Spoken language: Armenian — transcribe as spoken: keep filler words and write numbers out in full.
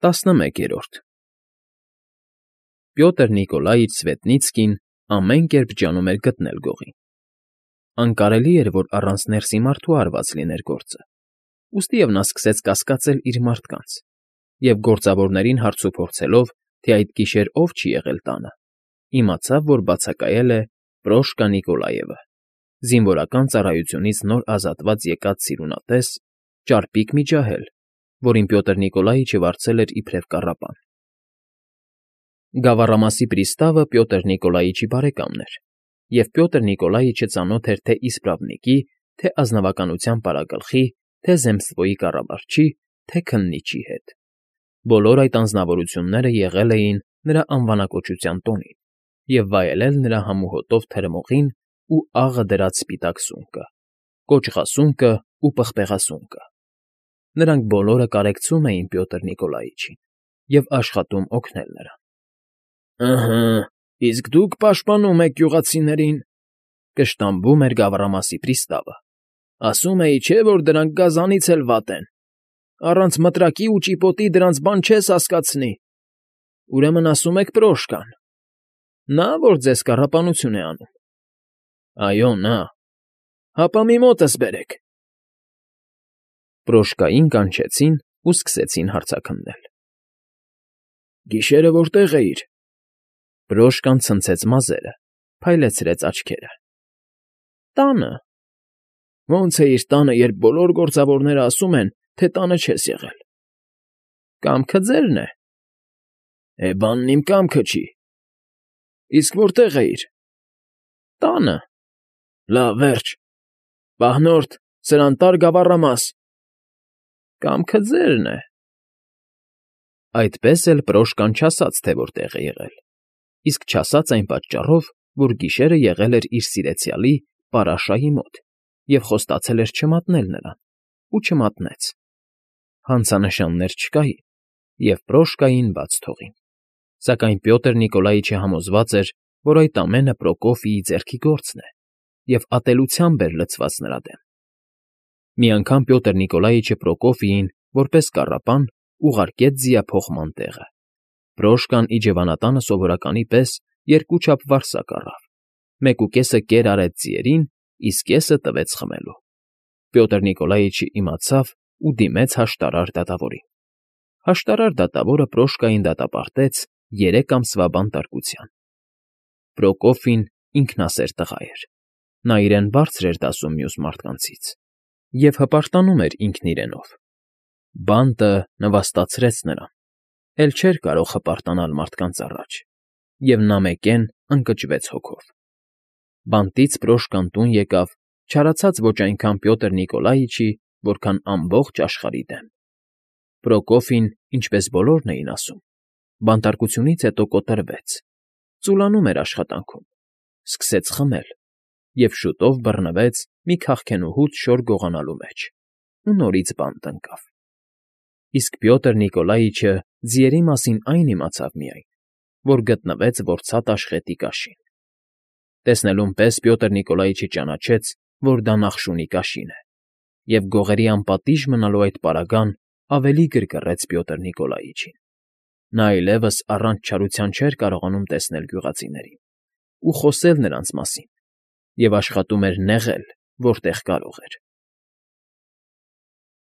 ՏԱՍՆՄԵԿԵՐՈՐԴ Պյոտր Նիկոլաիչ Սվետնիցկին ամեն կերպ ջանում էր գտնել գողին. անկարելի էր, որ առանց ներսի մարդու արված լիներ գործը, ուստիև նա սկսեց կասկածել իր մարդկանց և, գործավորներին հարցուփորձելով, թե այդ գիշեր ով չի եղել տանը, իմացավ, որ բացակայել է Պրոշկա Նիկոլաևը, զինվորական ծառայությունից նոր ազատված եկած սիրունատես, ճարպիկ մի ջահել, որին Պյոտր Նիկոլաիչը վարձել էր իբրև կառապան։ Գավառամասի պրիստավը Պյոտր Նիկոլաիչի բարեկամն էր, և Պյոտր Նիկոլաիչը ծանոթ էր թե՛ իսպրավնիկի, թե՛ ազնվականության պարագլխի, թե՛ զեմստվոյի կառավարչի, թե՛ քննիչի հետ. բոլոր այդ անձնավորությունները եղել էին նրա անվանակոչության տոնին և վայելել նրա համուհոտով թրմողին ու աղը դրած սպիտակ սունկը, կոճղասունկն ու պղպեղասունկը. նրանք բոլորը կարեկցում էին Պյոտր Նիկոլաիչին և աշխատում օգնել նրան։ ֊ Ըհը, իսկ դուք պաշտպանում եք գյուղացիներին,֊ կշտամբում էր գավառամասի պրիստավը,֊ ասում էի չէ, որ դրանք գազանից էլ վատ են, առանց մտրակի ու ճիպոտի դրանց բան չես հասկացնի, ուրեմն ասում եք Պրոշկան, նա՞, որ ձեզ կառապանություն է անում։ ֊ Այո, նա։ ֊ Հապա մի մոտս բերեք։ Պրոշկային կանչեցին ու սկսեցին հարցաքննել։ ֊ Գիշերը որտե՞ղ էիր։ Պրոշկան ցնցեց մազերը, փայլեցրեց աչքերը։ ֊ Տանը։ ֊ Ո՞նց էիր տանը, երբ բոլոր գործավորներն ասում են, թե տանը չես եղել։ ֊ Կամքը ձերն է։ ֊ Է, բանն իմ կամքը չի։ ֊ Իսկ որտե՞ղ էիր։ ֊ Տանը։ ֊ Լավ, վերջ։ Պահնորդ, սրանտար գավառամաս։ ֊ Կամքը ձերն է։ Այդպես էլ Պրոշկան չասաց, թե որտեղ է եղել, իսկ չասաց այն պատճառով, որ գիշերը եղել էր իր սիրեցյալի Պարաշայի մոտ և խոստացել էր չմատնել նրան, ու չմատնեց։ Հանցանշաններ չկային, և Պրոշկային բաց թողին, սակայն Պյոտր Նիկոլաիչը համոզված էր, որ այդ ամենը Պրոկոֆիի ձեռքի գործն է և ատելությամբ էր լցված նրա դեմ։ Մի անգամ Պյոտր Նիկոլաիչը Պրոկոֆիին, որպես կառապան, ուղարկեց ձիափոխման տեղը։ Պրոշկան իջևանատանը սովորականի պես երկուչափ վարսակ առավ, մեկուկեսը կեր արեց ձիերին, իսկ կեսը տվեց խմելու։ Պյոտր Նիկոլաիչը իմացավ ու դիմեց հաշտարար դատավորին։ Հաշտարար դատավորը Պրոշկային դատապարտեց երեք ամսվա բանտարկության։ Պրոկոֆին ինքնասեր տղա էր, նա իրեն բարձր էր դասում մյուս մարդկանցից և հպարտանում էր ինքն իրենով։ Բանտը նվաստացրեց նրան, էլ չէր կարող հպարտանալ մարդկանց առաջ, և նա մեկեն ընկճվեց հոգով։ Բանտից Պրոշկան տուն եկավ չարացած ոչ այնքան Պյոտր Նիկոլաիչի, որքան ամբողջ աշխարհի դեմ։ Պրոկոֆին, ինչպես բոլորն էին ասում, բանտարկությունից հետո կոտրվեց, ծուլանում էր աշխատանքում, սկսեց խմել և շուտով բռնվեց մի քաղքենուհուց շոր գողանալու մեջ ու նորից բանտ ընկավ։ Իսկ Պյոտր Նիկոլաիչը ձիերի մասին այն իմացավ միայն, որ գտնվեց որցատ աշխետի կաշին։ Տեսնելուն պես Պյոտր Նիկոլաիչը ճանաչեց, որ դա նախշունի կաշին է, և գողերի անպատիժ մնալու այդ պարագան ավելի գրգռեց Պյոտր Նիկոլաիչին։ Նա այլևս առանց չարության չէր կարողանում տեսնել գյուղացիներին ու խոսել նրանց մասին և աշխատում էր նեղել, որտեղ կարող էր։